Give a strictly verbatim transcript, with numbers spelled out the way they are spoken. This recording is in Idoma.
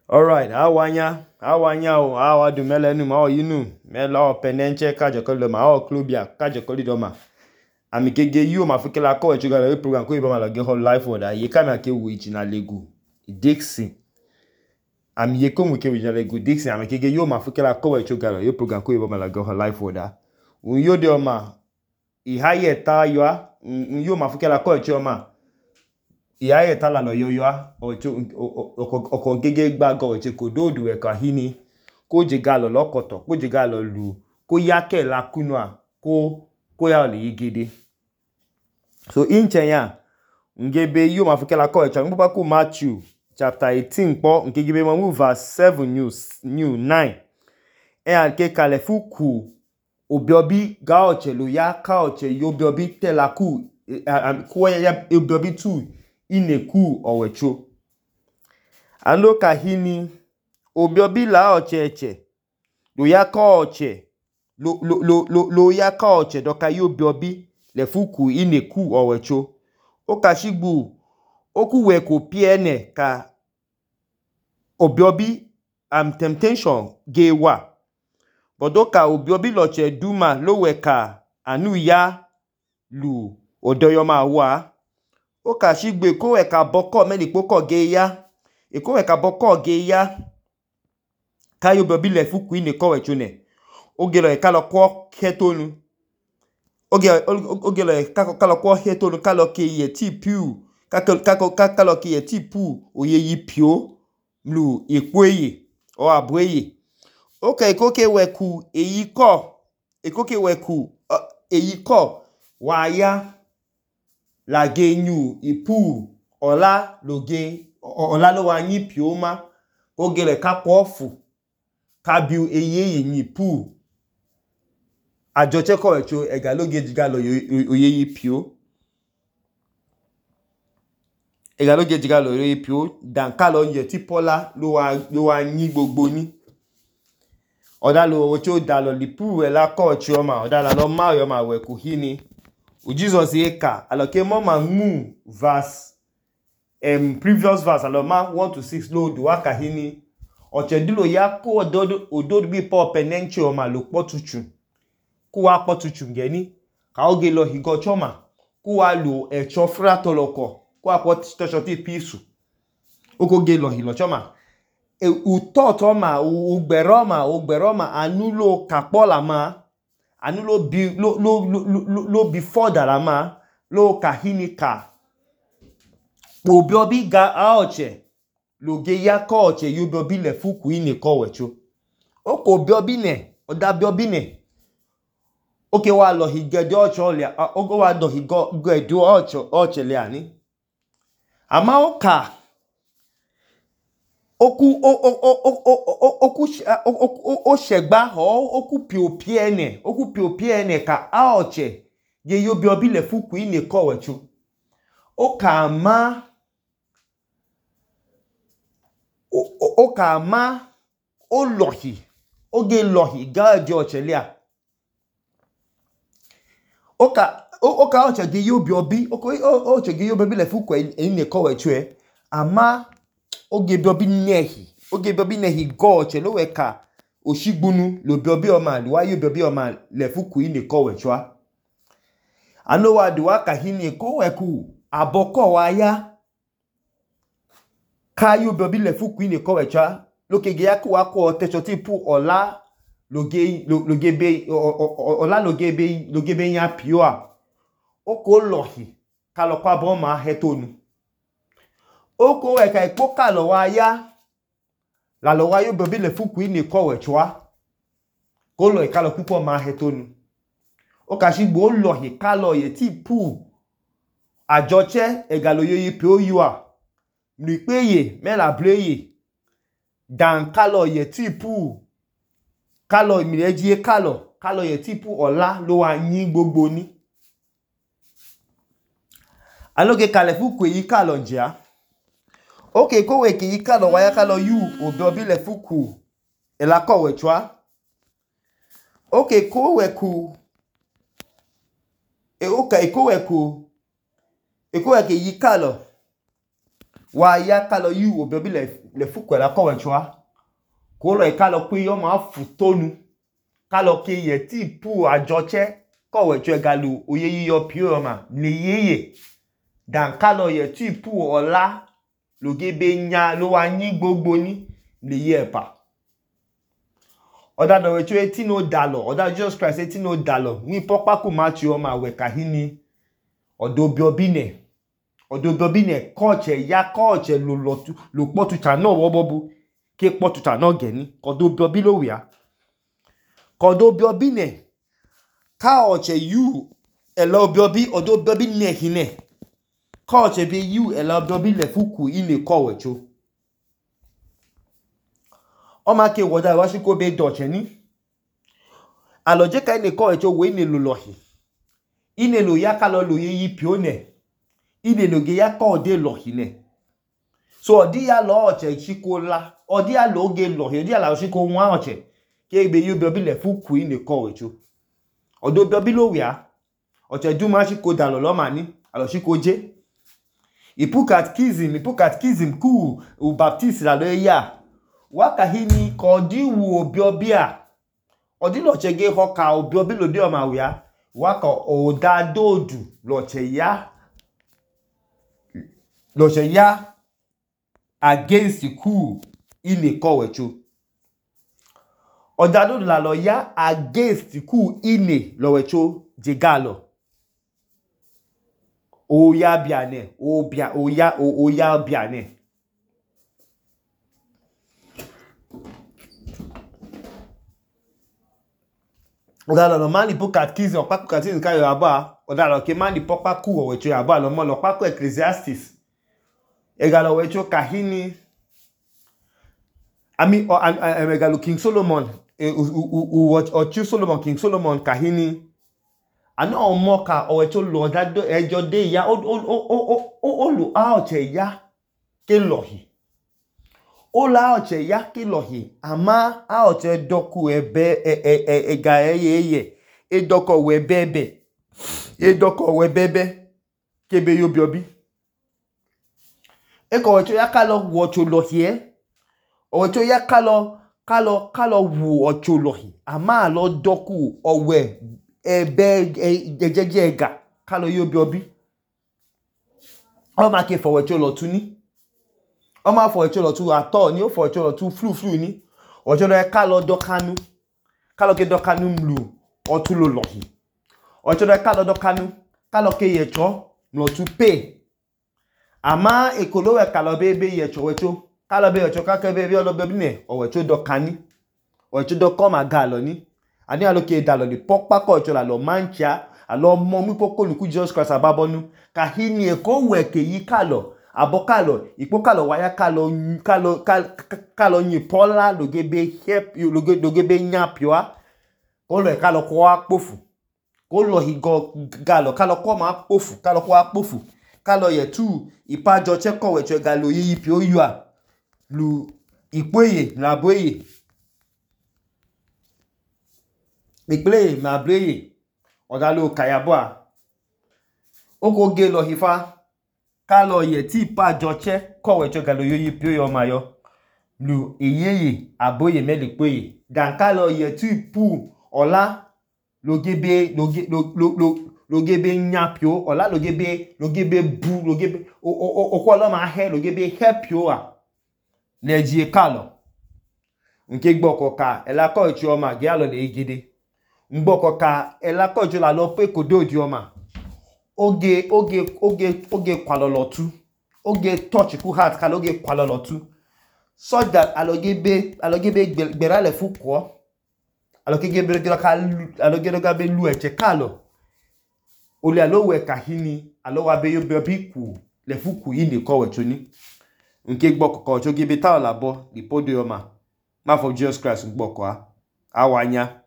Alright, awanya, awanya o, awa du melenu ma o yinu, mela o penenche kajokoli ma o klobia kajokoli doma. Ami kege yu ma fikela ko echuga le program ko ibama la ge hol life order. Ye kama ake wiji na legu Dixon. Ami ye ko mu ke wiji na legu Dixon, ami kege yu ma fikela ko echuga le program ko ibama la ge hol life order. Un yo de oma I haye ta yo a, un yo ma fikela ko echuga ma. I haye ta la lo yo yo a, o ko gege gba go eche ko dodu e ka hini. Ko je galo lokoto, ko je galo lu, ko yake la kunwa, ko ko ya le yigede. So inche ya, ngebe yu ma fikela ko echuga, ngbe ku Matthew chapter eighteen po, ngebe mo verse seven news new nine. E an ke kale fuku obiobi ga oche lo ya ka oche yo obiobi tela ku ku ya obiobi tu ineku owecho. Alo ka hini obiobi la oche eche lo ya ka oche lo lo lo lo, lo ya ka oche doka yo obiobi le fuku ineku owecho. O ka shigbu oku we ko piene ka obiobi am um, temptation ge wa. Bodoka obiobi loche duma lo we ka anu ya lu odoyoma wa. O ka shigbe ko we ka boko meni poko ge ya. E ko we ka boko ge ya. Ka yo obiobi le fuku ineku owecho ne. O ge lo e ka lo kwa ketonu. O ge o ge lo e ka lo kwa ketonu ka lo ke ye ti piu. Ka ka ka lo ke ye ti pu oye yi pio lu ekweye o abweye. Okay, ikoke weku eyiko, ikoke weku uh, eyiko waya la genyu ipu ola loge ola lo wa nyi pioma ogele ka pofu ka biu eyeye nyi pu ajoche ko echo ega loge jiga lo oyeye pio ega loge jiga lo oyeye pio dan ka lo ye ti pola lo wa lo wa nyi gbogbo ni. Oda lo ocho da lo lipu we la ko chioma oda la lo ma yo ma we ku hini u Jesus eka aloke mo ma mu verse um previous verse alo ma one to six lo do aka hini oche dilo ya ko ododo ododo bi po penenche o ma lo potuchu ku wa potuchu ngeni ka oge lo higo choma ku wa lo echo fra toloko ku wa pot to shoti pisu oko ge lo hilo choma. E utoto ma ugberoma ugberoma anulo kapola ma anulo bi lo lo lo lo before da ma lo kahini ka obiobi ga aoche lo ge ya ko oche yo obiobi le fuku ine ko wecho oko obiobi ne oda obiobi ne oke wa lo higede oche ole ogo wa do higo gede oche oche le ani ama oka oku o o o o oku o shegba ho oku piopie ene oku piopie ene ka aoche ye yo obiobi le fuku ine ko wecho oka ama o oka ama o lohi oge lohi ga je oche le a oka oka oche ge yo obiobi oche ge yo obiobi le fuku ine ko wecho e ama oge biobi nehi oge biobi nehi go oche lo we ka oshigbunu lo biobi o ma wa yo biobi o ma le fuku ine ko wecho a ano wa du aka hini ko we ku aboko wa ya ka yo biobi le fuku ine ko wecho a lo ke ge ya ku wa ko te choti pu ola loge loge be ola loge be loge be yan pio a oko lohi ka lo kwa bo ma hetonu oko we ka ipo ka lo wa ya la lo wa yo biobi le fuku ine ko wecho a ko lo ka lo pupo ma hetonu o ka shigbo lohi ka lo ye ti pu ajoche ega lo yoyi pio yu a mi peye me la bleye dan ka lo ye ti pu ka lo mi eji ka lo ka lo ye ti pu ola lo wa yin gbogbo ni aloge kale fuku yi ka lo nje a okay ko we ki yi ka lo wa ya ka lo yu obiobi le fuku e la ko wecho a okay ko we ku e okay ko we ku e ko we ki yi ka lo wa ya kalo yu obiobi le le fuku la ko wechoa ko lo kalo pe yo ma futonu kalo ke ye ti pu ajoche ko wecho galu oye yiyo pio ma le yeye dan kalo ye ti pu ola lo gebe nya lo wa yin gbogbo ni le ye pa oda do wecho eti no dalo oda Jesus Christ eti no dalo ni popa ku Matthew ma we kahini odo biobi ne odo biobi ne koche ya koche lo lo lo potu cha no wo bobu ke potu cha no geni odo biobi lo wi a odo biobi ne ka oche yu elo biobi odo biobi ne hine ka oche be yu elo biobi le fuku ile ko wecho o ma ke woda wa shi ko be doche ni aloje ka ile ko wecho we ne lo lohi ine lo ya ka lo lo ye yi pione ine lo ge ya ko de lohi ne so odi ya lo oche chikola odi ya lo ge lohi odi ya la shi ko wa oche ke be yu biobi le fuku ile ko wecho odo biobi lo wi a oche du ma shi ko dalo lo ma ni alo shi ko je ipu catechism ipu catechism ku u baptist la lo ya waka hini ko di wu obiobi a odi lo che ge ho ka obiobi lo de o ma wi a waka o da dodu lo che ya lo che ya against ku ile ko wecho oda dodu la lo ya against ku ile lo wecho je galo o ya biane o bia o ya o, o ya biane oda lo mani po catechism o pa catechism ka yo aba oda lo ke mani popa ku o wecho aba lo mo lo pa ko Ecclesiastes e ga lo wecho kahini ami o e ga lo King Solomon e u watch o King Solomon King Solomon kahini ana o mo ka o wecho lo da do ejo de ya o o o o o lo a o che ya ke lohi o la o che ya ke lohi ama a o che doku ebe e e e ga eye e doko we bebe e doko we bebe ke be yo biobi e ko wecho ya kalo wo cho lohi e o wecho ya kalo kalo kalo wu o cho lohi ama lo doku o we ebe jejeje ega kalo yo biobi o ma ke fo wecho lo tu ni o ma fo wecho lo tu ato ni o fo wecho lo tu flu flu ni o cho lo e kalo dokanu kalo ke dokanu mlu o tu lo lohi o cho lo e kalo dokanu kalo ke yecho lo tu pe ama ekolo we kalo be be yecho wecho kalo be yecho ka ke be bi olo biobi ne o wecho dokani o wecho dokoma galo ni ani aloke dalo ni popa ko cho la lo mancha alo mo mi poko luku Jesus Christ ababonu ka hini e ko we ke yi kalo abokalo ipo kalo waya kalo kalo kalo yin pola lo gebe help you lo gebe nyapioa ko lo e kalo ko apofu ko lo higo galo kalo ko ma apofu kalo ko apofu kalo ye tu ipajo che ko we che galo yi pio yua lu ipoye na boye Ikple ma breye oda lo kayaboa oko ge lo hifa kalo ye ti pa joche ko wecho galo yoyi pio yo mayo lu eyeye aboye melipoye dan kalo ye ti pu ola lo gebe lo lo lo lo gebe nyapio ola lo gebe lo gebe bu lo gebe o o o ko lo ma he lo gebe helpio a leji kalo nke gboko ka ela ko ichi o ma ge alo le igide ngboko ka elakojo la lo pe kodo di oma oge oge oge oge kwalolotu oge touch ku heart ka oge kwalolotu so that alogebe alogebe gbera le fuko alogebe gbera ka alogebe gabe lu eche kalo ole alowe kahini alowa be yo be ku le fuku yi ni ko wechoni nke gboko ko jo gebe ta olabo di podo oma ma for Jesus Christ ngboko a awanya